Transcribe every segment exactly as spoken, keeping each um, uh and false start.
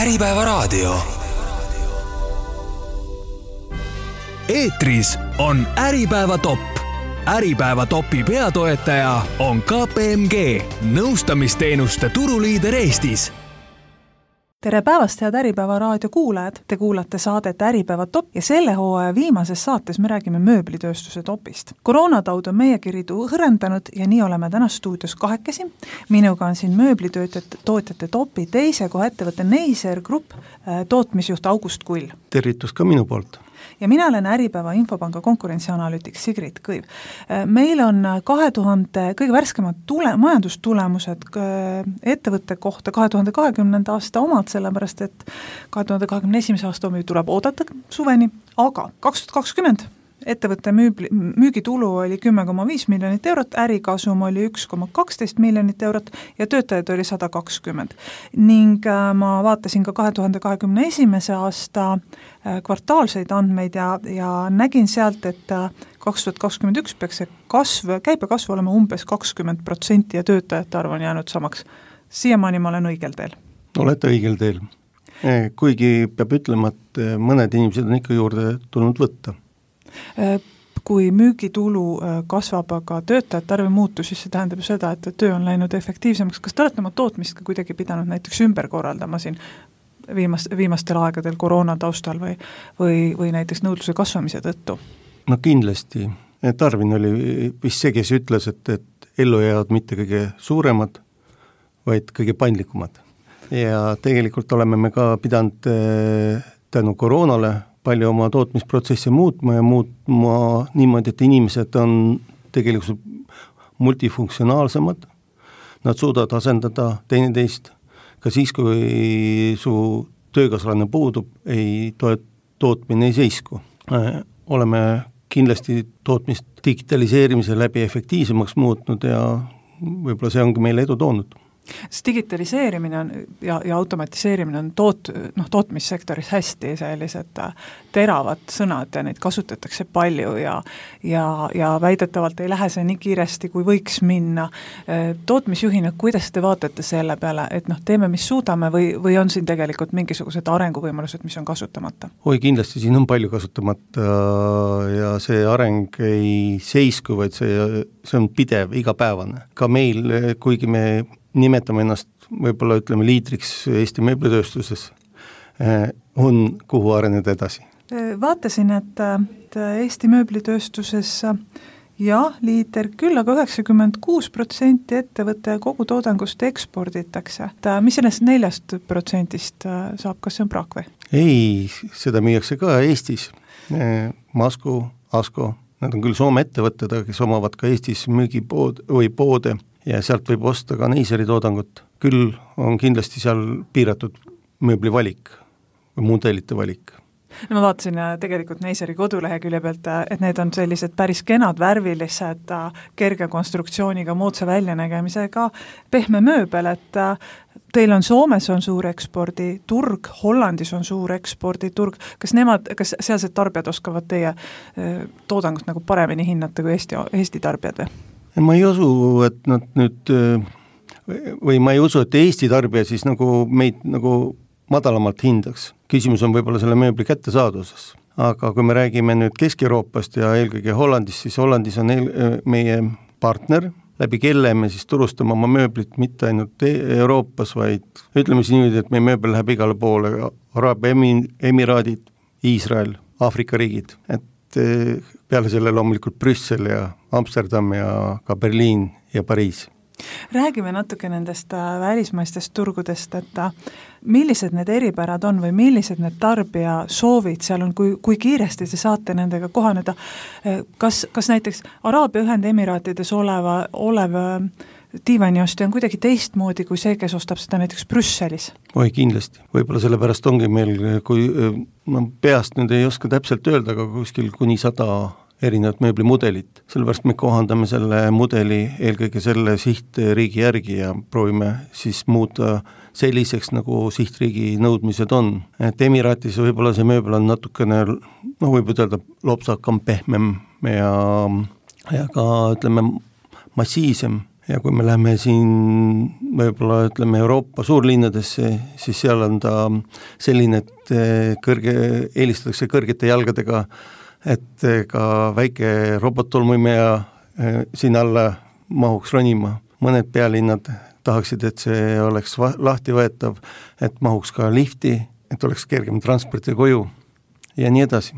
Äripäeva raadio. Eetris on Äripäeva top. Äripäeva topi peatoetaja on K P M G, nõustamisteenuste turuliider Eestis. Tere päevast, head Äripäeva raadio kuulajad! Te kuulate saadet Äripäeva top ja selle hooaja viimases saates me räägime mööblitööstuse topist. Koroonataud on meie kiridu hõrendanud ja nii oleme täna stuudios kahekesi. Minuga on siin mööblitöötajate tootjate topi teise koha ettevõtte Neiser Grupp tootmisjuht August Kull. Tervitus ka minu poolt. Ja mina olen Äripäeva Infopanga konkurentsianalüütik Sigrid Kõiv. Meil on kahe tuhande kõige värskemad tule, majandustulemused ettevõtte kohta kahe tuhande kahekümnenda aasta omad, sellepärast et kahe tuhande kahekümne esimese aasta omi tuleb oodata suveni, aga kaks tuhat kakskümmend ettevõtte müübli, müügitulu oli kümme koma viis miljonit eurot, ärikasum oli üks koma kaksteist miljonit eurot ja töötajaid oli sada kakskümmend. Ning ma vaatasin ka kahe tuhande kahekümne esimese aasta kvartaalseid andmeid ja, ja nägin sealt, et kaks tuhat kakskümmend üks peaks see kasv, käibe kasv olema umbes kakskümmend protsenti ja töötajate arv on jäänud samaks. Siiamaani ma olen õigel teel. Olete õigel teel. Kuigi peab ütlema, et mõned inimesed on ikka juurde tulnud võtta. Kui müügitulu kasvab, aga töötajate arve muutu, siis see tähendab seda, et töö on läinud efektiivsemaks. Kas te olete oma tootmist ka kuidagi pidanud näiteks ümber korraldama siin viimast, viimastel aegadel koroona taustal või, või, või näiteks nõudluse kasvamise tõttu? No kindlasti. Tarvin oli vist see, kes ütles, et, et ellu jäävad mitte kõige suuremad, vaid kõige paindlikumad. Ja tegelikult oleme me ka pidanud tänu koroonale palju oma tootmisprotsesse muutma ja muutma niimoodi, et inimesed on tegelikult multifunktsionaalsemad. Nad suudavad asendada teineteist. Ka siis, kui su töökaaslane puudub, ei toet, tootmine ei seisku. Oleme kindlasti tootmist digitaliseerimise läbi efektiivsemaks muutnud ja võib-olla see ongi meile edu toonud. See digitaliseerimine on, ja, ja automatiseerimine on toot, noh, tootmissektoris hästi sellised teravad sõnad ja neid kasutatakse palju ja, ja, ja väidetavalt ei lähe see nii kiiresti, kui võiks minna. Tootmisjuhina, kuidas te vaatate selle peale, et noh, teeme, mis suudame või, või on siin tegelikult mingisugused arenguvõimalused, mis on kasutamata? Oi, kindlasti siin on palju kasutamata ja see areng ei seisku, vaid see, see on pidev, igapäevane. Ka meil, kuigi me nimetame ennast, võib-olla ütleme liidriks Eesti mööblitööstuses, on kuhu areneda edasi. Vaatasin, et, et Eesti mööblitööstuses jah, liider küll, aga üheksakümmend kuus protsenti ettevõtte kogu toodangust eksporditakse. Mis sellest neljast protsendist saab, kas see on praak või? Ei, seda müüakse ka Eestis. Masku, Asko, nad on küll Soome ettevõtted, kes omavad ka Eestis müügipood või poode ja sealt võib osta ka Neiseri toodangut. Küll on kindlasti seal piiratud mööbli valik või mudelite valik. No ma vaatasin tegelikult Neiseri kodulehekülje pealt, et need on sellised päris kenad, värvilised, kerge konstruktsiooniga, moodsa väljanägemisega, pehme mööbel, et teil on Soomes on suur eksporditurg, Hollandis on suur eksporditurg. Kas nemad, kas sealsed tarbijad oskavad teie toodangut nagu paremini hinnata kui Eesti, Eesti tarbijad või? Ma ei usu, et nad nüüd, või ma ei usu, et Eesti tarbija siis nagu meid nagu madalamalt hindaks. Küsimus on võib-olla selle mööbli kättesaadvuses. Aga kui me räägime nüüd Kesk-Euroopast ja eelkõige Hollandis, siis Hollandis on eel, meie partner, läbi kelle me siis turustame oma mööblit mitte ainult Euroopas, vaid ütleme siis niimoodi, et meie mööbel läheb igale poole, Araabia Emiraadid, Iisrael, Aafrika riigid, et peale selle loomulikult Brüssel ja Amsterdam ja ka Berliin ja Pariis. Räägime natuke nendest välismaistest turgudest, et millised need eripärad on või millised need tarbija soovid seal on, kui, kui kiiresti te saate nendega kohaneda. Kas, kas näiteks Araabia Ühendemiraatides oleva, olev diivaniosti on kuidagi teistmoodi kui see, kes ostab seda näiteks Brüsselis? Oi, kindlasti. Võib-olla sellepärast ongi meil, kui ma peast nüüd ei oska täpselt öelda, aga kuskil kuni sada erinevat mööblimudelit. Sellepärast me kohandame selle mudeli eelkõige selle sihtriigi järgi ja proovime siis muuta selliseks, nagu sihtriigi nõudmised on. Et Emiraatis võib-olla see mööbel on natukene, noh võib ütelda, lopsakam, pehmem ja, ja ka ütleme massiivsem. ja kui me läheme siin võib-olla ütleme Euroopa suurlinnadesse, siis seal on ta selline, et kõrge, eelistatakse kõrgete jalgadega, et ka väike robottolmuimeja siin alla mahuks ronima. Mõned pealinnad tahaksid, et see oleks lahti võetav, et mahuks ka lifti, et oleks kergem transporti koju ja nii edasi.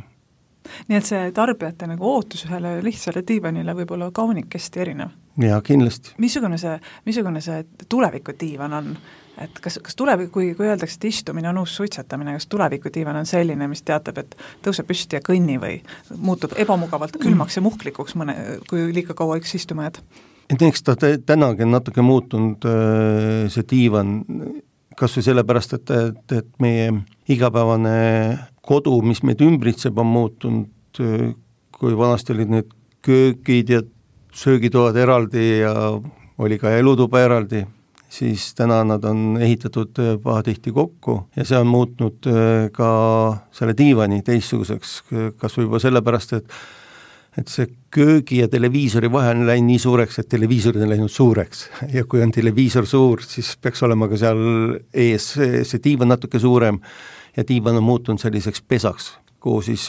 Nii et see tarbijate nagu ootus ühele lihtsale diivanile võib olla kaunikesti erinev? Ja kindlasti. Missugune see, missugune see tuleviku diivan on? Et kas, kas tulevik, kui, kui öeldakse, et istumine on uus suitsetamine, kas tuleviku diivan on selline, mis teatab, et tõuseb püsti ja kõnni või muutub ebamugavalt külmaks ja muhklikuks, mõne, kui liiga kaua üks istuma jääd? Et eks ta tänagi on natuke muutunud see diivan, kas või sellepärast, et, et, et meie igapäevane kodu, mis meid ümbritseb, on muutunud, kui vanasti olid need köögid ja söögitoad eraldi ja oli ka elutuba eraldi, siis täna nad on ehitatud pahatihti kokku ja see on muutnud ka selle diivani teistsuguseks, kas või juba sellepärast, et et see köögi ja televiisori vahe on läinud nii suureks, et televiisorid on läinud suureks ja kui on televiisor suur, siis peaks olema ka seal ees see diivan natuke suurem ja diivan on muutunud selliseks pesaks, kuhu siis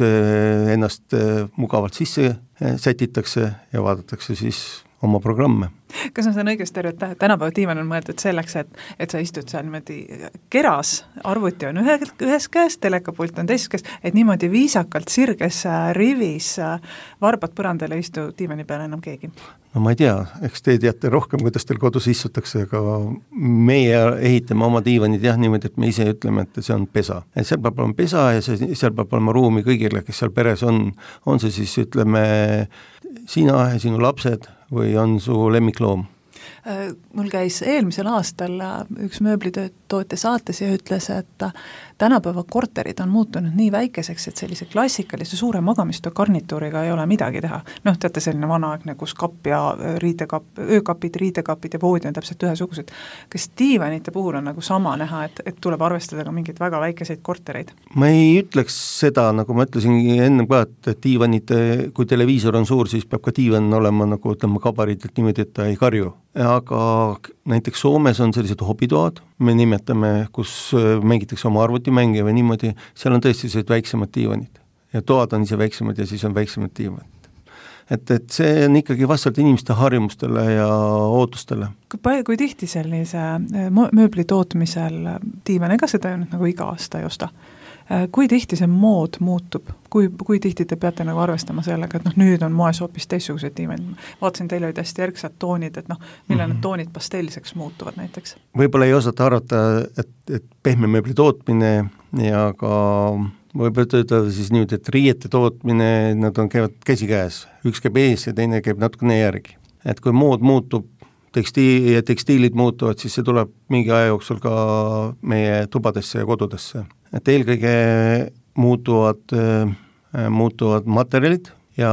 ennast mugavalt sisse sätitakse ja vaadatakse siis oma programme. Kas ma saan õigesti aru, et tänapäeva diivan on mõeldud selleks, et, et sa istud seal niimoodi keras, arvuti on ühe, ühes käes, telekapult on teises käes, et niimoodi viisakalt sirges rivis varbad põrandale istu diivani peale enam keegi? No ma ei tea, eks te teate rohkem, kuidas teil kodus istutakse, aga meie ehitame oma diivanid jah niimoodi, et me ise ütleme, et see on pesa. Et seal peab olema pesa ja see, seal peab olema ruumi kõigile, kes seal peres on. On see siis, ütleme, sina ja sinu lapsed või on su lemmikloom? Mul käis eelmisel aastal üks mööblitootja saates ja ütles, et tänapäeva korterid on muutunud nii väikeseks, et sellise klassikalise suure magamistoa garnituuriga ei ole midagi teha. Noh, teate selline vanaaegne, kus kapp ja riidekapp, öökapid, riidekapid ja voodi on täpselt ühesugused. Kas diivanite puhul on nagu sama näha, et, et tuleb arvestada ka mingeid väga väikeseid kortereid? Ma ei ütleks seda, nagu ma ütlesin enne ka, et diivanite, kui televiisor on suur, siis peab ka diivan olema nagu ütlema kabariidelt niimoodi, et ta ei karju. Aga näiteks Soomes on sellised hobitoad, me nimetame, kus mängitakse oma arvutimänge või niimoodi, seal on tõesti sellised väiksemad diivanid ja toad on ise väiksemad ja siis on väiksemad diivanid. Et, et see on ikkagi vastavalt inimeste harjumustele ja ootustele. Kui, kui tihti sellise mööbli tootmisel diivan, ega seda ju nagu iga aasta ei osta? Kui tihti see mood muutub? Kui, kui tihti te peate nagu arvestama sellega, et noh, nüüd on moes hoopis teistsugused diivanid? Vaatasin, teil olid hästi järgsad toonid, et noh, mille mm-hmm. need toonid pastelliseks muutuvad näiteks? Võib-olla ei osata arvata, et, et pehme mööbli tootmine ja ka võib-olla töötada siis nüüd, et riiete tootmine, nad on käivad käsikäes. Üks käib ees ja teine käib natukene järgi. Et kui mood muutub, tekstiil ja tekstiilid muutuvad, siis see tuleb mingi aja jooksul ka meie tubadesse ja kodudesse. Et eelkõige muutuvad, äh, muutuvad materjalid ja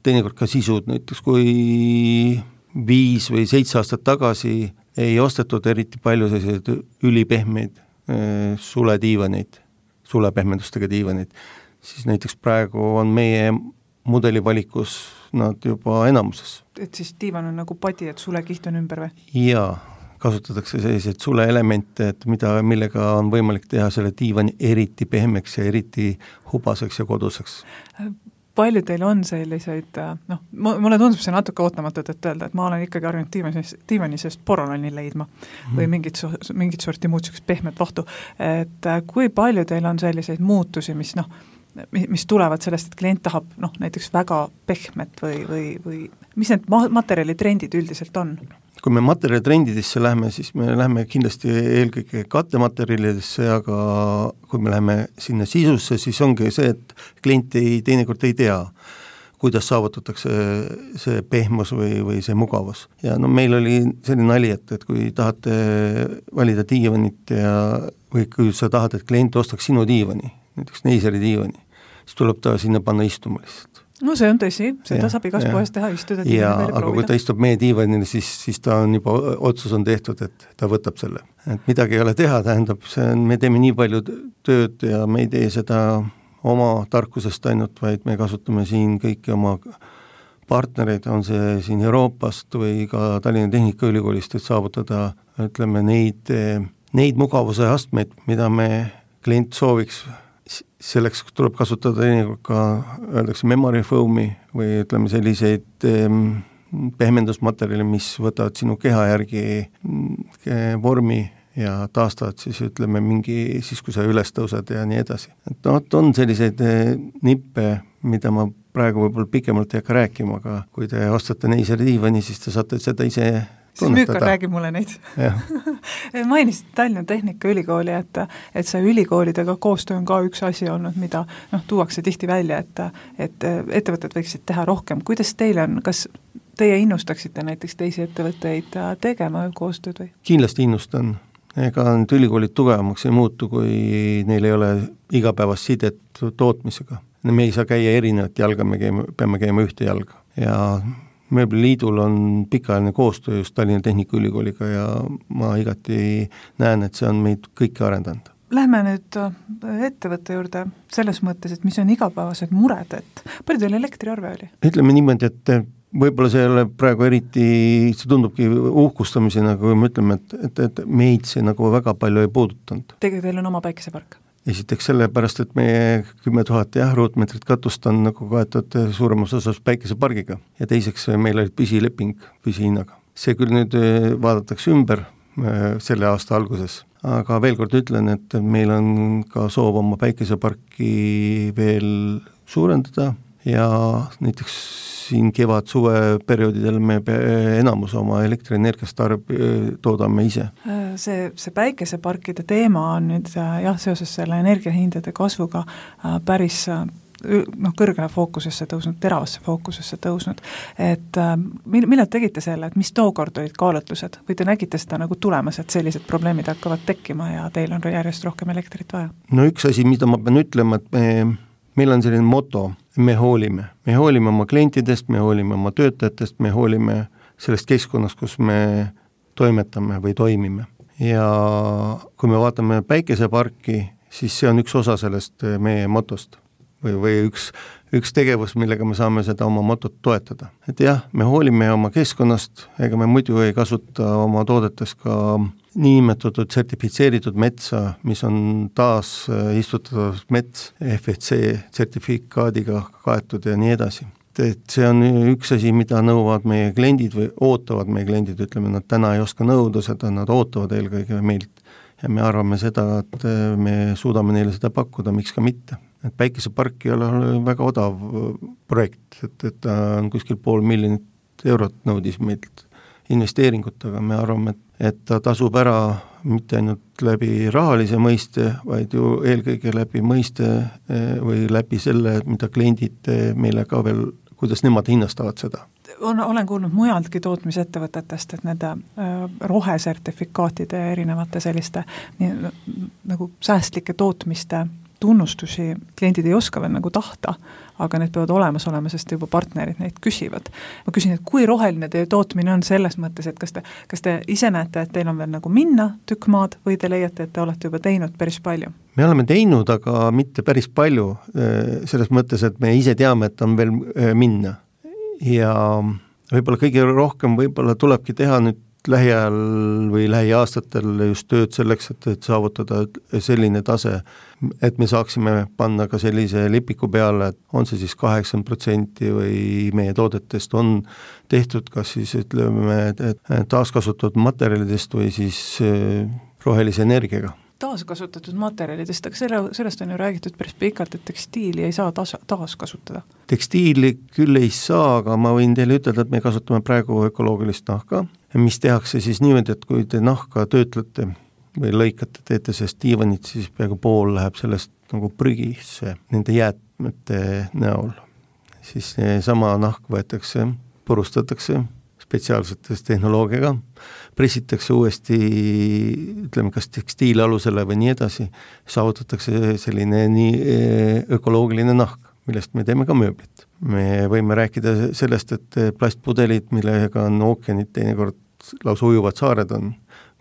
teinekord ka sisud, näiteks kui viis või seitse aastat tagasi ei ostetud eriti palju selliseid ülipehmeid äh, sulediivaneid, sulepehmendustega diivaneid, siis näiteks praegu on meie mudelivalikus nad juba enamuses. Et siis diivan on nagu padi, et sulekiht on ümber või? Jaa, kasutatakse selliseid suleelemente, et mida, millega on võimalik teha selle diivani eriti pehmeks ja eriti hubaseks ja koduseks. Palju teil on selliseid, noh, mulle tundub see natuke ootamatut, et öelda, et ma olen ikkagi harjunud diivani, diivani seest porolani leidma mm. või mingit, mingit sorti muud sellist pehmet vahtu. Et kui palju teil on selliseid muutusi, mis noh, mis tulevad sellest, et klient tahab noh, näiteks väga pehmet või, või, või mis need materjalitrendid üldiselt on? Kui me materjalitrendidesse lähme, siis me lähme kindlasti eelkõige kattematerjalidesse, aga kui me läheme sinna sisusse, siis ongi see, et klient ei, teinekord ei tea, kuidas saavutatakse see pehmus või, või see mugavus. Ja no meil oli selline nali, et, et kui tahate valida diivanit ja, või kui sa tahad, et klient ostaks sinu diivani, näiteks Neiseri diivani, siis tuleb ta sinna panna istuma lihtsalt. No see on tõsi, seda ja, saab igas poes teha, istuda diivani ja, veel aga proovida. Kui ta istub meie diivanil, siis, siis ta on juba, otsus on tehtud, et ta võtab selle. Et midagi ei ole teha, tähendab, see on, me teeme nii palju tööd ja me ei tee seda oma tarkusest ainult, vaid me kasutame siin kõiki oma partnereid, on see siin Euroopast või ka Tallinna Tehnikaülikoolist, et saavutada, ütleme, neid, neid mugavuse astmeid, mida me klient sooviks. Selleks tuleb kasutada ka, öeldakse, memory foam'i või ütleme selliseid pehmendusmaterjali, mis võtavad sinu keha järgi vormi ja taastavad siis, ütleme, mingi, siis kui sa üles tõused ja nii edasi. Et no, on selliseid nippe, mida ma praegu võib-olla pikemalt ei hakka rääkima, aga kui te ostate Neiseri diivani, siis te saate seda ise tunnetada. Siis Müükar räägi mulle neid. Mainisid Tallinna Tehnikaülikooli, et, et see ülikoolidega koostöö on ka üks asi olnud, mida noh, tuuakse tihti välja, et, et ettevõtted võiksid teha rohkem. Kuidas teil on, kas teie innustaksite näiteks teisi ettevõtteid tegema koostööd või? Kindlasti innustan. Ega nüüd ülikoolid tugevamaks ei muutu, kui neil ei ole igapäevast sidet tootmisega. Me ei saa käia erinevat jalga, me käime, peame käima ühte jalga. Ja Mööbliliidul on pikaajaline koostöö just Tallinna Tehnikaülikooliga ja ma igati näen, et see on meid kõiki arendanud. Lähme nüüd ettevõtte juurde selles mõttes, et mis on igapäevased mured, et palju teil elektriarve oli? Ütleme niimoodi, et võib-olla see ei ole praegu eriti, see tundubki uhkustamisena, kui me ütleme, et, et, et meid see nagu väga palju ei puudutanud. Tegelikult teil on oma päikesepark? Esiteks sellepärast, et meie kümme tuhat jah, ruutmeetrit katust on nagu kaetud suuremas osas päikesepargiga ja teiseks meil oli püsileping püsihinnaga. See küll nüüd vaadatakse ümber selle aasta alguses, aga veel kord ütlen, et meil on ka soov oma päikeseparki veel suurendada ja näiteks siin kevad-suve perioodidel me enamus oma elektrienergiast tarb, toodame ise. See, see päikeseparkide teema on nüüd jah, seoses selle energiahindade kasvuga päris noh, kõrgele fookusesse tõusnud, teravasse fookusesse tõusnud. Et millal tegite selle, et mis tookord olid kaalutlused või te nägite seda nagu tulemas, et sellised probleemid hakkavad tekkima ja teil on järjest rohkem elektrit vaja? No üks asi, mida ma pean ütlema, et me meil on selline moto, me hoolime. Me hoolime oma klientidest, me hoolime oma töötajatest, me hoolime sellest keskkonnast, kus me toimetame või toimime. Ja kui me vaatame päikeseparki, siis see on üks osa sellest meie motost või, või üks, üks tegevus, millega me saame seda oma motot toetada. Et jah, me hoolime oma keskkonnast, ega me muidu ei kasuta oma toodetes ka niinimetatud sertifitseeritud metsa, mis on taas istutatud mets F S C sertifikaadiga kaetud ja nii edasi. Et see on üks asi, mida nõuavad meie kliendid või ootavad meie kliendid, ütleme, nad täna ei oska nõuda seda, nad ootavad eelkõige meilt ja me arvame seda, et me suudame neile seda pakkuda, miks ka mitte. Et päikesepark ei ole väga odav projekt, et, et ta on kuskil pool miljonit eurot nõudis meilt investeeringut, aga me arvame, et, et ta tasub ära mitte ainult läbi rahalise mõiste, vaid ju eelkõige läbi mõiste või läbi selle, mida kliendid meile ka veel, kuidas nemad hinnastavad seda. On, olen kuulnud mujaltki tootmisettevõtetest, et nende äh, rohesertifikaatide erinevate selliste nii, nagu säästlike tootmiste tunnustusi kliendid ei oska veel nagu tahta, aga need peavad olemas olema, sest juba partnerid neid küsivad. Ma küsin, et kui roheline teie tootmine on selles mõttes, et kas te, kas te ise näete, et teil on veel nagu minna tükk maad või te leiate, et te olete juba teinud päris palju? Me oleme teinud, aga mitte päris palju, selles mõttes, et me ise teame, et on veel minna. Ja võib-olla kõige rohkem võib-olla tulebki teha nüüd lähiajal või lähiaastatel just tööd selleks, et, et saavutada selline tase, et me saaksime panna ka sellise lipiku peale, et on see siis kaheksakümmend protsenti või meie toodetest on tehtud kas siis ütleme taaskasutatud materjalidest või siis rohelise energiaga. Taaskasutatud materjalidest, aga selle, sellest on ju räägitud päris pikalt, et tekstiili ei saa taas, taaskasutada. Tekstiili küll ei saa, aga ma võin teile ütelda, et me kasutame praegu ökoloogilist nahka, mis tehakse siis niimoodi, et kui te nahka töötlete või lõikate, teete sellest diivanit, siis peaaegu pool läheb sellest nagu prügisse nende jäätmete näol. Siis sama nahk võetakse, purustatakse spetsiaalsetes tehnoloogiaga, pressitakse uuesti, ütleme, kas tekstiilalusele või nii edasi, saavutatakse selline nii ökoloogiline nahk, millest me teeme ka mööblit. Me võime rääkida sellest, et plastpudelid, millega on ookeanid teinekord lausa ujuvad saared on,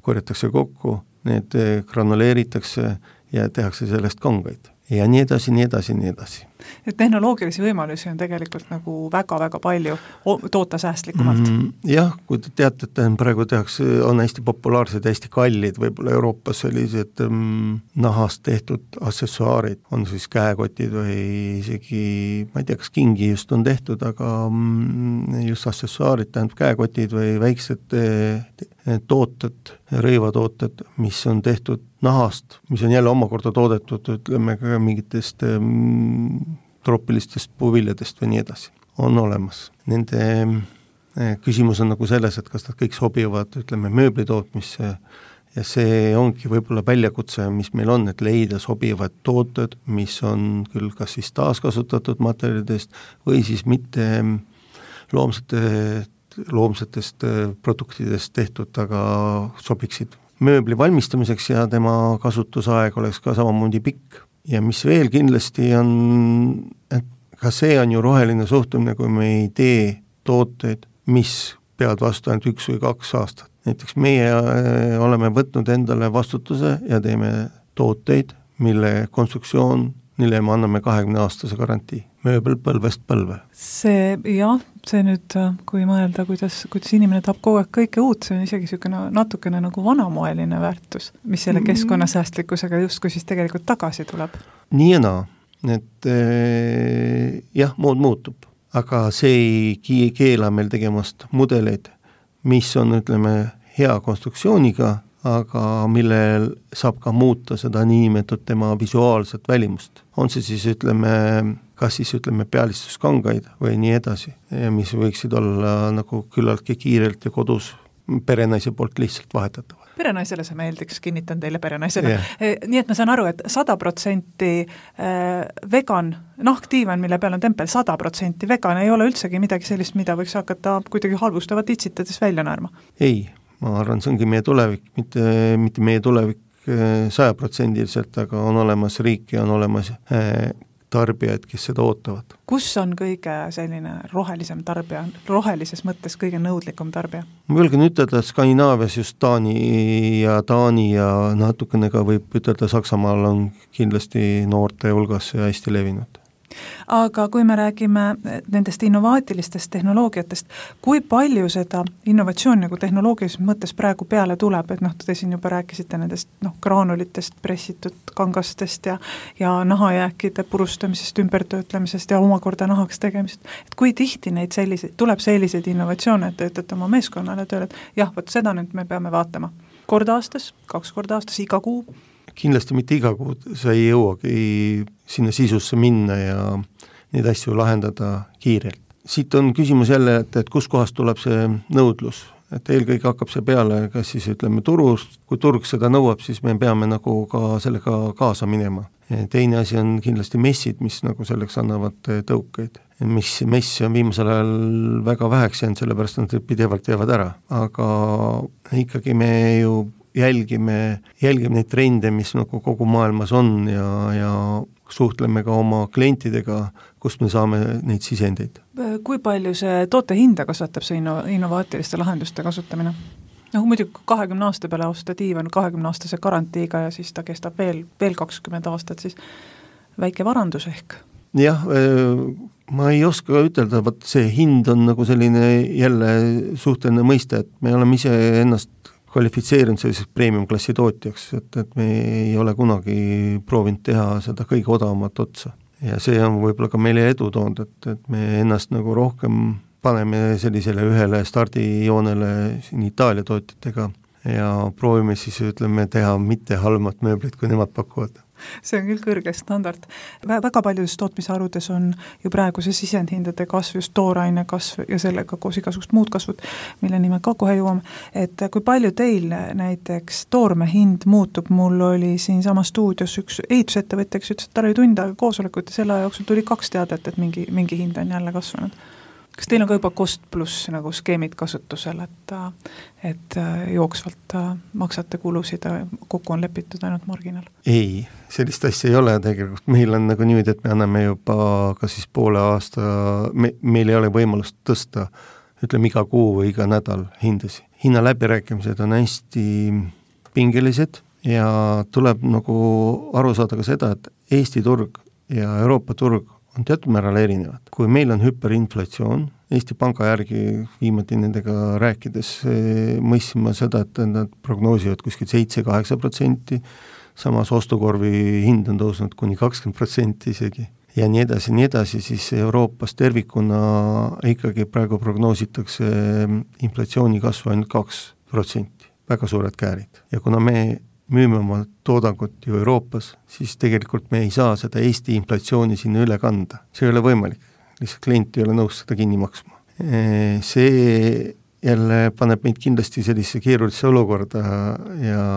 korjatakse kokku, need granuleeritakse ja tehakse sellest kangaid. ja nii edasi, nii edasi, nii edasi. Et tehnoloogilisi võimalusi on tegelikult nagu väga-väga palju toota säästlikumalt. Mm, jah, kui te teate, et praegu tehakse, on hästi populaarsed, hästi kallid, võib-olla Euroopas sellised mm, nahast tehtud aksessuaarid, on siis käekotid või isegi, ma ei tea, kas kingi just on tehtud, aga mm, just aksessuaarid, tähendab käekotid või väiksed tooted, rõivatooted, mis on tehtud nahast, mis on jälle omakorda toodetud, ütleme ka mingitest mm, troopilistest puuviljadest või nii edasi, on olemas. Nende küsimus on nagu selles, et kas nad kõik sobivad, ütleme, mööblitootmisse ja see ongi võib-olla väljakutse, mis meil on, et leida sobivad tooted, mis on küll kas siis taaskasutatud materjalidest või siis mitte loomsete loomsetest produktidest tehtud, aga sobiksid mööbli valmistamiseks ja tema kasutusaeg oleks ka samamoodi pikk. Ja mis veel kindlasti on, et ka see on ju roheline suhtumine, kui me ei tee tooteid, mis peavad vastu ainult üks või kaks aastat. Näiteks meie oleme võtnud endale vastutuse ja teeme tooteid, mille konstruktsioon, mille me anname kahekümne aastase garantii. Mööbel põlvest põlve. See, jah, see nüüd, kui mõelda, kuidas, kuidas inimene tahab kogu aeg kõike uut, see on isegi niisugune natukene nagu vanamoeline väärtus, mis selle keskkonnasäästlikkusega justkui siis tegelikult tagasi tuleb. Nii ja naa, et eh, jah, mood muutub, aga see ei keela meil tegemast mudeleid, mis on, ütleme, hea konstruktsiooniga, aga millel saab ka muuta seda niimetud tema visuaalset välimust. On see siis, ütleme, kas siis ütleme pealistuskangaid või nii edasi, mis võiksid olla nagu küllaltki kiirelt ja kodus perenaise poolt lihtsalt vahetatavad. Perenaisele see meeldiks, kinnitan teile perenaisele. Yeah. Nii et ma saan aru, et sada protsenti vegan, nahkdiivan, mille peal on tempel sada protsenti vegan, ei ole üldsegi midagi sellist, mida võiks hakata kuidagi halvustavat itsitades välja naerma. Ei, ma arvan, see ongi meie tulevik, mitte, mitte meie tulevik sajaprotsendiliselt, aga on olemas riik ja on olemas tarbijaid, kes seda ootavad. Kus on kõige selline rohelisem tarbija, rohelises mõttes kõige nõudlikum tarbija? Ma julgen ütelda, et Skandinaavias just Taani ja Taani ja natukene ka võib ütelda Saksamaal on kindlasti noorte hulgas ja hästi levinud. Aga kui me räägime nendest innovaatilistest tehnoloogiatest, kui palju seda innovatsioon nagu tehnoloogilises mõttes praegu peale tuleb, et noh, te siin juba rääkisite nendest noh, graanulitest, pressitud kangastest ja, ja nahajääkide purustamisest, ümbertöötlemisest ja omakorda nahaks tegemisest, et kui tihti neid selliseid, tuleb selliseid innovatsioone, et te ütlete oma meeskonnale tööle, et jah, võt seda nüüd me peame vaatama. Kord aastas, kaks korda aastas, iga kuu? Kindlasti mitte iga kuu, sa ei jõuagi sinna sisusse minna ja neid asju lahendada kiirelt. Siit on küsimus jälle, et, et kus kohast tuleb see nõudlus, et eelkõige hakkab see peale, kas siis ütleme turust, kui turg seda nõuab, siis me peame nagu ka sellega kaasa minema. Teine asi on kindlasti messid, mis nagu selleks annavad tõukeid. Mis messi on viimasel ajal väga väheks jäänud, sellepärast nad pidevalt jäävad ära, aga ikkagi me ju jälgime, jälgime neid trende, mis nagu kogu maailmas on ja, ja suhtleme ka oma klientidega, kust me saame neid sisendeid. Kui palju see toote hinda kasvatab see inno, innovaatiliste lahenduste kasutamine? No muidugi kahekümne aasta peale osta diivan kahekümne aastase garantiiga ja siis ta kestab veel, veel kakskümmend aastat, siis väike varandus ehk. Jah, ma ei oska ütelda, vaat see hind on nagu selline jälle suhteline mõiste, et me oleme ise ennast kvalifitseerinud selliseks premium-klassi tootjaks, et, et me ei ole kunagi proovinud teha seda kõige odavamat otsa. Ja see on võib-olla ka meile edu toonud, et, et me ennast nagu rohkem paneme sellisele ühele stardijoonele siin Itaalia tootjatega ja proovime siis, ütleme, teha mitte halmat mööblit, kui nemad pakuvad. See on küll kõrge standard. Väga paljudes tootmisharudes on ju praegu see sisendhindade kasv, just tooraine kasv ja sellega koos igasugust muud kasvud, mille nime ka kohe jõuame. Et kui palju teil näiteks toorme hind muutub, mul oli siin sama stuudios üks ehitusettevõtja, kes ütles, et tal oli tund aega koosolekut ja selle jooksul tuli kaks teadet, et mingi, mingi hind on jälle kasvanud. Kas teil on ka juba cost pluss nagu skeemid kasutusel, et, et jooksvalt maksate kulusid, kokku on lepitud ainult marginal? Ei, sellist asja ei ole tegelikult. Meil on nagu niimoodi, et me anname juba ka siis poole aasta, me, meil ei ole võimalust tõsta, ütleme iga kuu või iga nädal hindasi. Hinna läbirääkimised on hästi pingelised ja tuleb nagu aru saada ka seda, et Eesti turg ja Euroopa turg on teatud määral erinevad. Kui meil on hüperinflatsioon, Eesti Panga järgi viimati nendega rääkides mõistsin ma seda, et nad prognoosivad kuskil seitse-kaheksa protsenti, samas ostukorvi hind on tõusnud kuni kakskümmend protsenti isegi. Ja nii edasi, nii edasi, siis Euroopas tervikuna ikkagi praegu prognoositakse inflatsiooni kasvu ainult kaks protsenti, väga suured käärid. Ja kuna me müüme oma toodangut ju Euroopas, siis tegelikult me ei saa seda Eesti inflatsiooni sinna üle kanda. See ei ole võimalik, lihtsalt klient ei ole nõus seda kinni maksma. See jälle paneb meid kindlasti sellise keerulisse olukorda ja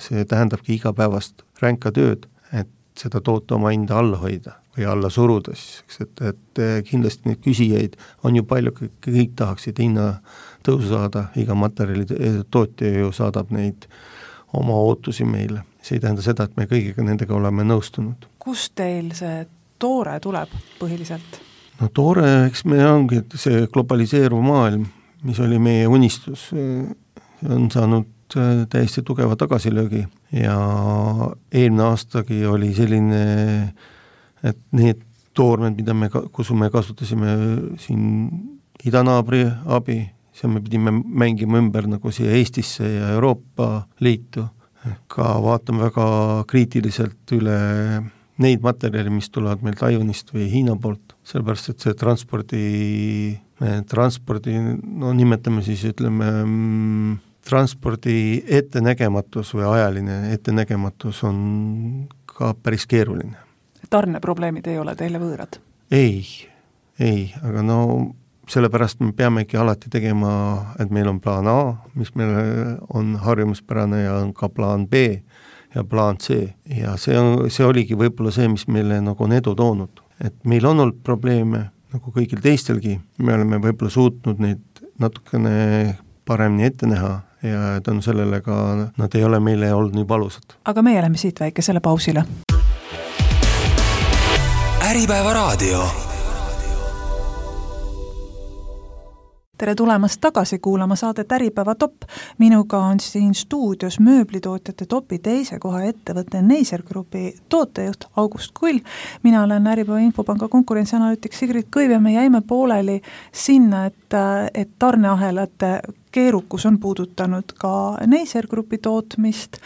see tähendabki igapäevast ränka tööd, et seda toote oma hinda alla hoida või alla suruda siis, et, et kindlasti neid küsijaid on ju palju, kõik tahaksid hinna tõusu saada, iga materjali tootja ju saadab neid oma ootusi meile. See ei tähenda seda, et me kõigiga nendega oleme nõustunud. Kust teil see toore tuleb põhiliselt? No toore, eks me ongi see globaliseeruv maailm, mis oli meie unistus, on saanud täiesti tugeva tagasilöögi ja eelmine aastagi oli selline, et need toormed, mida me, kus me kasutasime siin idanaabri abi, see me pidime mängima ümber nagu siia Eestisse ja Euroopa Liitu. Ka vaatame väga kriitiliselt üle neid materjali, mis tulevad meil Taiwanist või Hiina poolt, sellepärast, et see transpordi, transpordi, no nimetame siis, ütleme, transpordi ettenägematus või ajaline ettenägematus on ka päris keeruline. Tarneprobleemid ei ole teile võõrad? Ei, ei, aga no sellepärast me peamegi alati tegema, et meil on plaan A, mis meil on harjumuspärane ja on ka plaan B ja plaan C. Ja see, on, see oligi võib-olla see, mis meile nagu on edu toonud. Et meil on olnud probleeme, nagu kõigil teistelgi, me oleme võib-olla suutnud neid natukene paremini ette näha ja tänu sellele ka nad ei ole meile olnud nii valusad. Aga meie läheme siit väikesele pausile. Äripäeva raadio. Tere tulemast tagasi kuulama saadet Äripäeva top. Minuga on siin stuudios mööblitootjate topi teise koha ettevõtte Neiser Grupi tootejuht August Kull. Mina olen Äripäeva Infopanga konkurentsianalüütik Sigrid Kõiv ja me jäime pooleli sinna, et, et tarneahelate keerukus on puudutanud ka Neiser Grupi tootmist,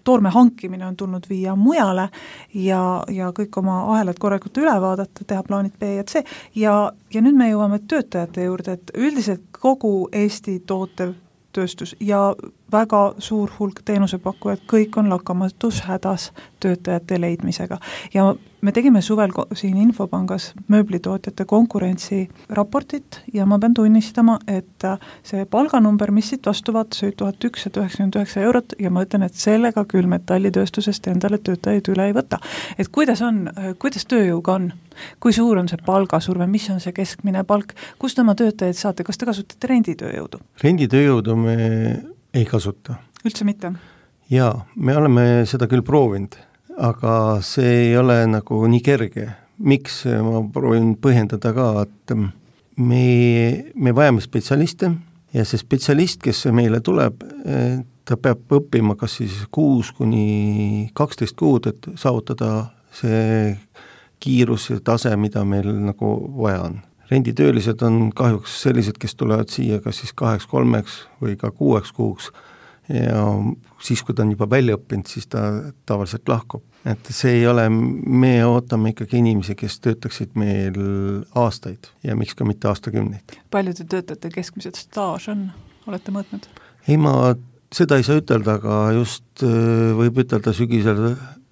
toorme hankimine on tulnud viia mujale ja, ja kõik oma ahelad korralikult üle vaadata, teha plaanid B ja C ja, ja nüüd me jõuame töötajate juurde, et üldiselt kogu Eesti tootev tööstus ja väga suur hulk teenusepakkujad, kõik on lakkamatus hädas töötajate leidmisega. Ja me tegime suvel siin Infopangas mööblitootjate konkurentsiraportit ja ma pean tunnistama, et see palganumber, mis siit vastu vaatas, oli tuhat ükssada üheksakümmend üheksa eurot ja ma ütlen, et sellega küll metallitööstusest endale töötajaid üle ei võta. Et kuidas on, kuidas tööjõuga on? Kui suur on see palgasurve, mis on see keskmine palk, kust oma töötajaid saate, kas te kasutate renditööjõudu? Renditööjõudu me ei kasuta. Üldse mitte? Jaa, me oleme seda küll proovinud, aga see ei ole nagu nii kerge. Miks ma proovin põhjendada ka, et me, me vajame spetsialiste ja see spetsialist, kes meile tuleb, ta peab õppima kas siis kuus kuni kaksteist kuud, et saavutada see kiirus ja tase, mida meil nagu vaja on. Renditöölised on kahjuks sellised, kes tulevad siia kas siis kaheks, kolmeks või ka kuueks kuuks ja siis, kui ta on juba välja õppinud, siis ta tavaliselt lahkub. Et see ei ole, me ootame ikkagi inimesi, kes töötaksid meil aastaid ja miks ka mitte aastakümneid. Palju te töötate keskmised staaž on, olete mõõtnud? Ei, ma seda ei saa ütelda, aga just võib ütelda sügisel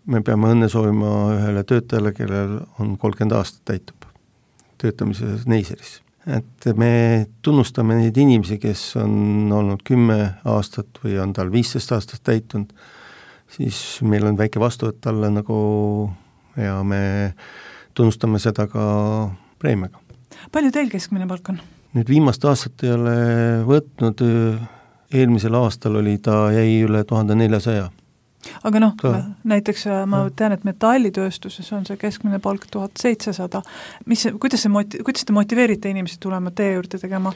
me peame õnne soovima ühele töötajale, kellel on kolmkümmend aastat täitub töötamises Neiseris. Et me tunnustame neid inimesi, kes on olnud kümme aastat või on tal viisteist aastat täitunud, siis meil on väike vastuvõtt talle nagu ja me tunnustame seda ka preemiaga. Palju teil keskmine palk on? Nüüd viimast aastat ei ole võtnud, eelmisel aastal oli ta jäi üle tuhande neljasaja. Aga noh, näiteks ma tean, et metallitööstuses on see keskmine palk tuhat seitsesada. Mis, kuidas, see moti- kuidas te motiveerite inimesi tulema tee juurde tegema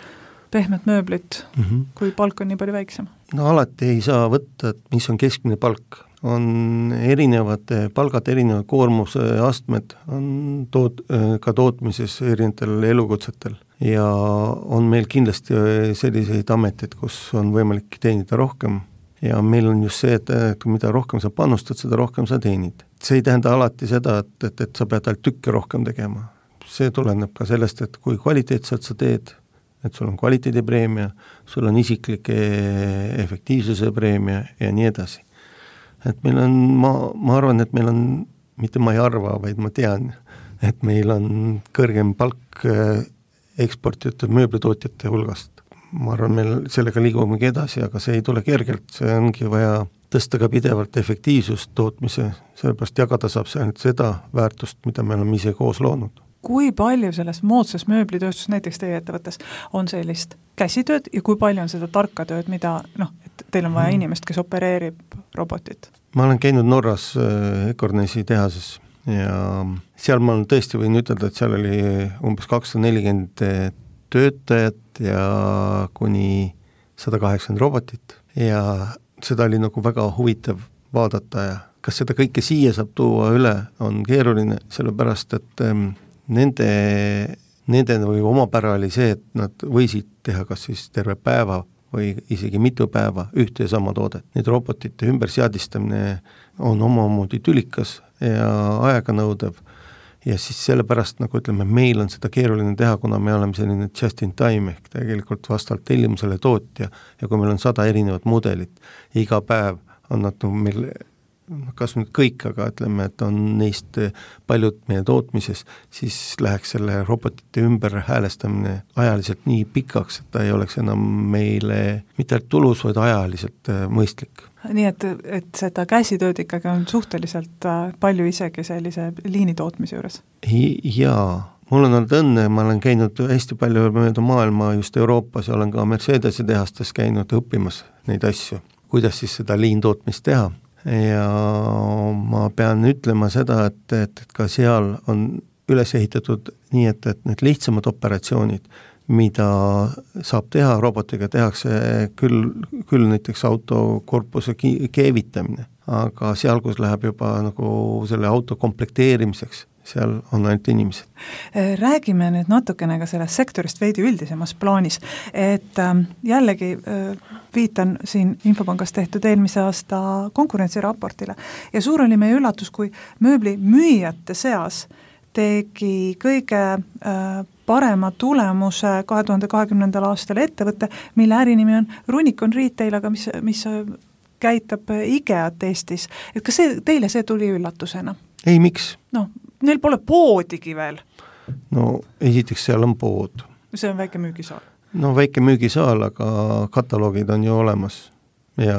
pehmet mööblit, mm-hmm. kui palk on nii palju väiksem? No alati ei saa võtta, et mis on keskmine palk. on erinevad palgad, erinevad koormuse astmed, on toot, ka tootmises erinevatel elukutsetel ja on meil kindlasti selliseid ameteid, kus on võimalik teenida rohkem ja meil on just see, et mida rohkem sa panustad, seda rohkem sa teenid. See ei tähenda alati seda, et, et, et sa pead ainult tükke rohkem tegema. See tuleneb ka sellest, et kui kvaliteetselt sa teed, et sul on kvaliteedipreemia, sul on isiklik efektiivsuse preemia ja nii edasi. Et meil on, ma, ma arvan, et meil on, mitte ma ei arva, vaid ma tean, et meil on kõrgem palk eksportijate, mööblitootjate hulgast. Ma arvan, meil sellega liigumegi edasi, aga see ei tule kergelt, see ongi vaja tõsta ka pidevalt efektiivsust tootmise, sellepärast jagada saab see ainult seda väärtust, mida me oleme ise koos loonud. Kui palju selles moodsas mööblitööstus näiteks teie ettevõttes on sellist käsitööd ja kui palju on seda tarka tööd, mida, noh, et teil on vaja inimest, kes opereerib robotit? Ma olen käinud Norras Ekornesi tehases ja seal ma tõesti võin ütelda, et seal oli umbes kakssada nelikümmend töötajat ja kuni sada kaheksakümmend robotit ja seda oli nagu väga huvitav vaadata ja kas seda kõike siia saab tuua üle, on keeruline, sellepärast et Nende, nende või omapära oli see, et nad võisid teha kas siis terve päeva või isegi mitu päeva ühte ja sama toodet. Need robotite ümberseadistamine on omamoodi tülikas ja aeganõudev ja siis sellepärast, nagu ütleme, meil on seda keeruline teha, kuna me oleme selline just in time ehk tegelikult vastavalt tellimusele tootja ja kui meil on sada erinevat mudelit, iga päev on nad meil kas nüüd kõik, aga ütleme, et on neist paljud meie tootmises, siis läheks selle robotite ümber häälestamine ajaliselt nii pikaks, et ta ei oleks enam meile mitte tulus, vaid ajaliselt mõistlik. Nii et, et seda käsitööd ikkagi on suhteliselt palju isegi sellise liinitootmise juures? Jaa, mul on olnud õnne, ma olen käinud hästi palju mööda maailma just Euroopas ja olen ka Mercedese tehastes käinud õppimas neid asju, kuidas siis seda liintootmist teha. Ja ma pean ütlema seda, et, et, et ka seal on üles ehitatud nii, et, et need lihtsamad operatsioonid, mida saab teha robotiga, tehakse küll, küll näiteks autokorpuse keevitamine, aga seal, kus läheb juba nagu selle auto komplekteerimiseks, seal on ainult inimesed. Räägime nüüd natukene ka sellest sektorist veidi üldisemas plaanis, et jällegi viitan siin Infopangas tehtud eelmise aasta konkurentsiraportile ja suur oli meie üllatus, kui mööbli müüjate seas tegi kõige parema tulemuse kahe tuhande kahekümnendal aastal ettevõtte, mille ärinimi on Runicon Retail, aga mis, mis käitab IKEA-t Eestis. Et kas see, teile see tuli üllatusena? Ei, miks? No, neil pole poodigi veel. No, esiteks seal on pood. See on väike müügisaal. No, väike müügisaal, aga kataloogid on ju olemas ja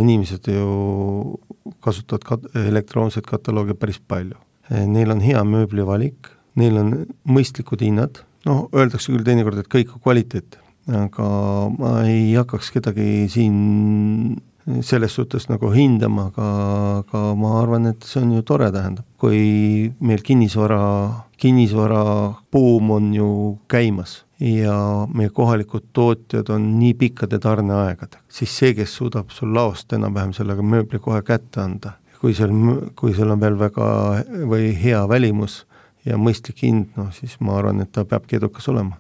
inimesed ju kasutavad kat- elektroonset kataloogi päris palju. Neil on hea mööblivalik, neil on mõistlikud hinnad, no, öeldakse küll teinekord, et kõik on kvaliteet, aga ma ei hakkaks kedagi siin selles suhtes nagu hindama, aga, aga ma arvan, et see on ju tore tähendab. Kui meil kinnisvara, kinnisvara buum on ju käimas ja meie kohalikud tootjad on nii pikkade tarneaegad, siis see, kes suudab sul laost enam-vähem sellega mööbli kohe kätte anda, kui seal, kui seal on veel väga või hea välimus ja mõistlik hind, no siis ma arvan, et ta peabki edukas olema.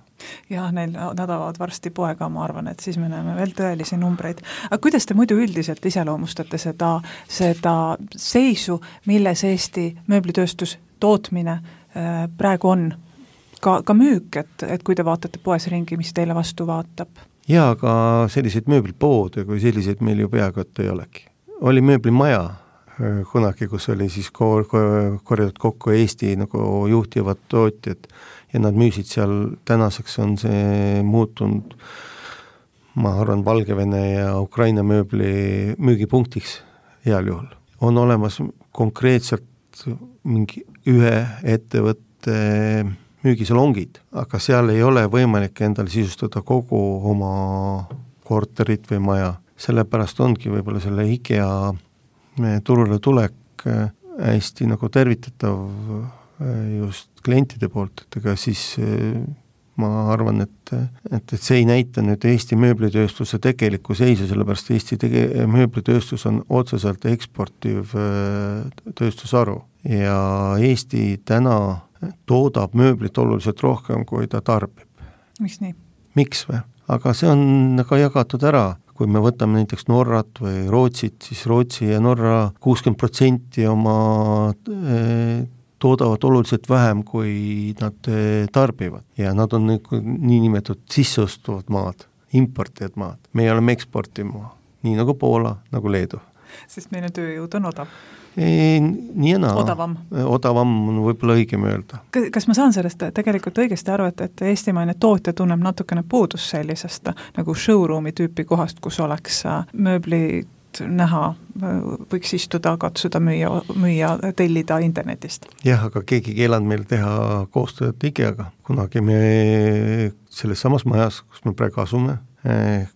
Jah, neil nad avavad varsti poega, ma arvan, et siis me näeme veel tõelisi numbreid. Aga kuidas te muidu üldiselt iseloomustate seda, seda seisu, milles Eesti mööblitööstus tootmine äh, praegu on? Ka, ka müük, et, et kui te vaatate poes ringi, mis teile vastu vaatab? Jaa, aga selliseid mööblipoode, kui selliseid meil ju peaaegu et ei olegi. Oli mööblimaja kunagi, kus oli siis kor- korjatud kokku Eesti nagu juhtivad tootjad ja nad müüsid seal, tänaseks on see muutunud, ma arvan, Valgevene ja Ukraina mööbli müügipunktiks heal juhul. On olemas konkreetselt mingi ühe ettevõtte müügisalongid, aga seal ei ole võimalik endale sisustada kogu oma korterit või maja. Sellepärast ongi võib-olla selle IKEA turule tulek hästi nagu tervitatav just klientide poolt, et ega siis ma arvan, et, et, et see ei näita nüüd Eesti mööblitööstuse tegelikku seisu, sellepärast Eesti tege-, mööblitööstus on otseselt eksportiv tööstusharu ja Eesti täna toodab mööblit oluliselt rohkem, kui ta tarbib. Miks nii? Miks või? Aga see on ka jagatud ära. Kui me võtame näiteks Norrat või Rootsit, siis Rootsi ja Norra kuuskümmend protsenti oma toodavad oluliselt vähem, kui nad tarbivad. Ja nad on niinimetatud sisseostuvad maad, importijad maad. Me oleme eksportiv maa, nii nagu Poola, nagu Leedu. Sest meil on tööjõud on odav. Ei, nii ja naa. Odavam. Odavam on võib-olla õigem öelda. Kas ma saan sellest tegelikult õigesti aru, et, et eestimaine tootja tunneb natukene puudus sellisest nagu showroomi tüüpi kohast, kus oleks mööblit näha, võiks istuda, katsuda, müüa, müüa, tellida internetist? Jah, aga keegi keelanud meil teha koostööd IKEA-ga. Kunagi me selles samas majas, kus me praegu asume,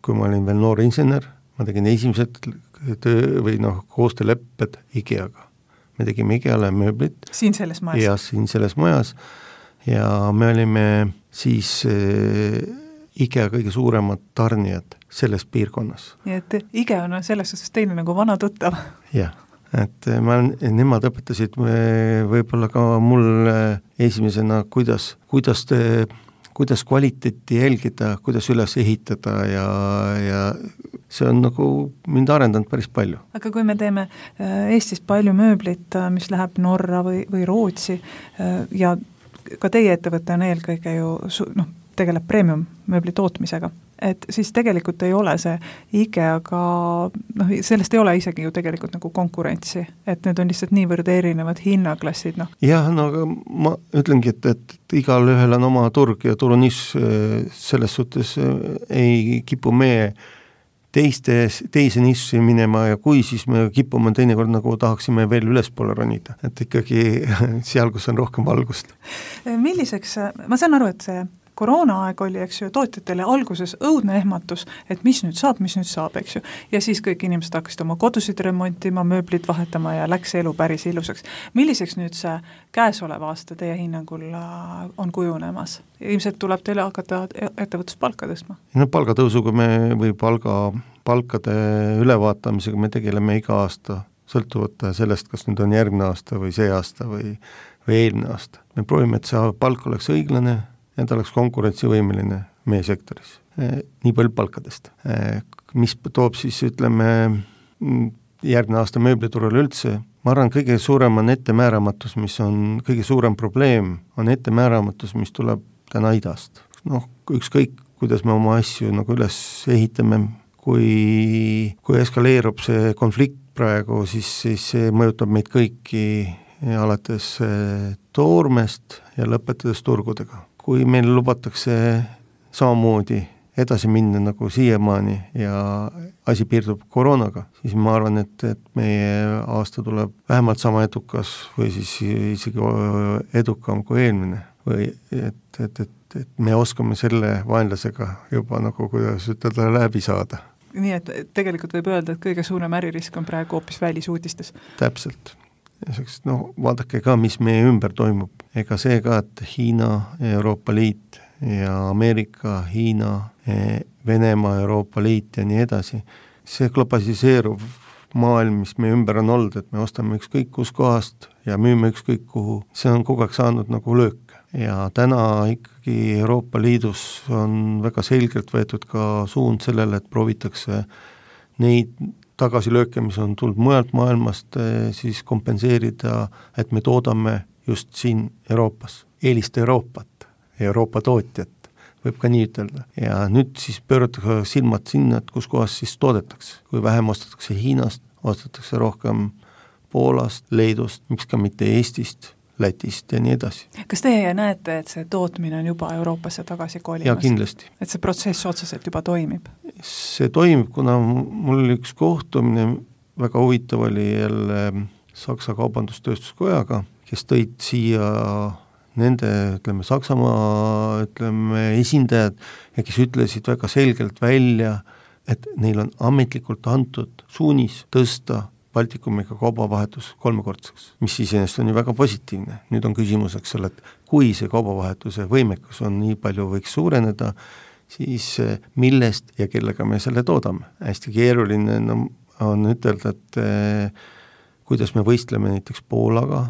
kui ma olin veel noor insener, ma tegin esimesed töö või noh, koostöölepped IKEA-ga. Me tegime IKEA-le mööblit. Siin selles majas? Ja siin selles majas. Ja me olime siis IKEA kõige suuremad tarnijad selles piirkonnas. Nii et IKEA on selles suhtes teine nagu vana tuttav. Jah, et ma, nemad õpetasid võib-olla ka mul esimesena, kuidas, kuidas, te, kuidas kvaliteeti jälgida, kuidas üles ehitada ja, ja see on nagu mind arendanud päris palju. Aga kui me teeme Eestis palju mööblit, mis läheb Norra või, või Rootsi ja ka teie ettevõte on eelkõige ju noh, tegeleb premium mööbli tootmisega, et siis tegelikult ei ole see IKEA-ga, noh, sellest ei ole isegi ju tegelikult nagu konkurentsi, et need on lihtsalt niivõrd erinevad hinnaklassid, noh. Jah, no aga ma ütlengi, et, et igal ühel on oma turg ja turuniss selles suhtes ei kipu meie teiste, teise nissi minema ja kui siis me kipume teinekord nagu tahaksime veel ülespoole ronida, et ikkagi seal, kus on rohkem valgust. Milliseks, ma saan aru, et see koroonaaeg oli, eks ju, tootjatele alguses õudne ehmatus, et mis nüüd saab, mis nüüd saab, eks ju. Ja siis kõik inimesed hakkasid oma kodusid remontima, mööblit vahetama ja läks elu päris ilusaks. Milliseks nüüd see käesolev aasta teie hinnangul on kujunemas? Ilmselt tuleb teile hakata ettevõtluspalka tõstma? No palgatõusuga me või palga, palkade ülevaatamisega me tegeleme iga aasta, sõltuvalt sellest, kas nüüd on järgmine aasta või see aasta või, või eelmine aasta. Me proovime, et see palk oleks õiglane, ja ta oleks konkurentsivõimeline meie sektoris. Nii palju palkadest. Mis toob siis, ütleme, järgmine aasta mööbliturul üldse, ma arvan, kõige suurem on ettemääramatus, mis on kõige suurem probleem, on ettemääramatus, mis tuleb täna idast. Noh, ükskõik, kuidas me oma asju nagu üles ehitame, kui, kui eskaleerub see konflikt praegu, siis, siis see mõjutab meid kõiki alates toormest ja lõpetades turgudega. Kui meil lubatakse samamoodi edasi minna nagu siiamaani ja asi piirdub koroonaga, siis ma arvan, et, et meie aasta tuleb vähemalt sama edukas või siis isegi edukam kui eelmine. Või et, et, et, et me oskame selle vaenlasega juba nagu, kuidas ütelda, läbi saada. Nii, et tegelikult võib öelda, et kõige suurem äririsk on praegu hoopis välisuudistes. Täpselt. No, vaadake ka, mis meie ümber toimub. Ega see ka, et Hiina, Euroopa Liit ja Ameerika, Hiina, Venemaa, Euroopa Liit ja nii edasi. See globaliseeruv maailm, mis meie ümber on olnud, et me ostame ükskõik kus kohast ja müüme ükskõik kuhu, see on kogu aeg saanud nagu löök. Ja täna ikkagi Euroopa Liidus on väga selgelt võetud ka suund sellele, et proovitakse neid tagasilööke, mis on tulnud mujalt maailmast, siis kompenseerida, et me toodame just siin Euroopas, eelist Euroopat, Euroopa tootjat, võib ka nii ütelda. Ja nüüd siis pööratakse silmad sinna, et kus kohas siis toodetakse. Kui vähem ostetakse Hiinast, ostetakse rohkem Poolast, Leedust, miks ka mitte Eestist, Lätist ja nii edasi. Kas teie näete, et see tootmine on juba Euroopasse tagasi kolimas? Ja kindlasti. Et see protsess otseselt juba toimib? See toimib, kuna mul üks kohtumine väga huvitav oli jälle Saksa kaubandustööstuskojaga, kes tõid siia nende, ütleme, Saksamaa, ütleme, esindajad ja kes ütlesid väga selgelt välja, et neil on ametlikult antud suunis tõsta Baltikumiga kaubavahetus kolmekordseks, mis iseenesest on ju väga positiivne. Nüüd on küsimuseks selle, et kui see kaubavahetuse võimekus on nii palju võiks suureneda, siis millest ja kellega me selle toodame. Hästi keeruline no, on ütelda, et eh, kuidas me võistleme näiteks Poolaga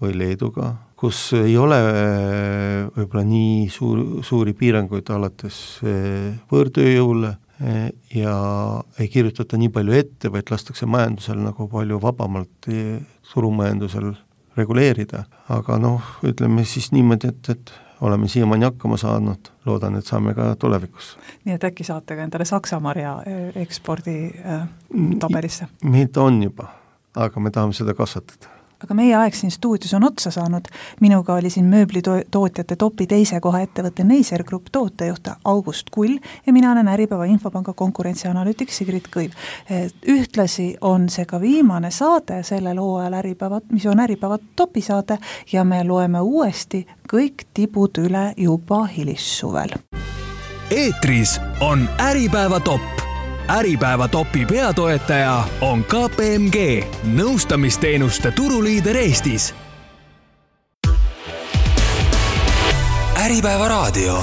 või Leeduga, kus ei ole võib-olla nii suur, suuri piiranguid alates võõrtööjõule ja ei kirjutata nii palju ette, vaid lastakse majandusel nagu palju vabamalt turumajandusel reguleerida. Aga noh, ütleme siis niimoodi, et, et oleme siiamaani hakkama saanud, loodan, et saame ka tulevikus. Nii et äkki saate ka endale Saksamarja ekspordi äh, tabelisse? Meid on juba, aga me tahame seda kasvatada. Aga meie aeg siin stuudios on otsa saanud. Minuga oli siin mööblitootjate topi teise koha ettevõtte Neiser Group tootejuht August Kull ja mina olen Äripäeva Infopanga konkurentsianalüütik Sigrid Kõiv. Ühtlasi on see ka viimane saade sellel hooajal Äripäeva, mis on Äripäeva topisaade ja me loeme uuesti kõik tibud üle juba hilissuvel. Eetris on Äripäeva top. Äripäeva topi peatoetaja on K P M G, nõustamisteenuste turuliider Eestis. Äripäeva raadio.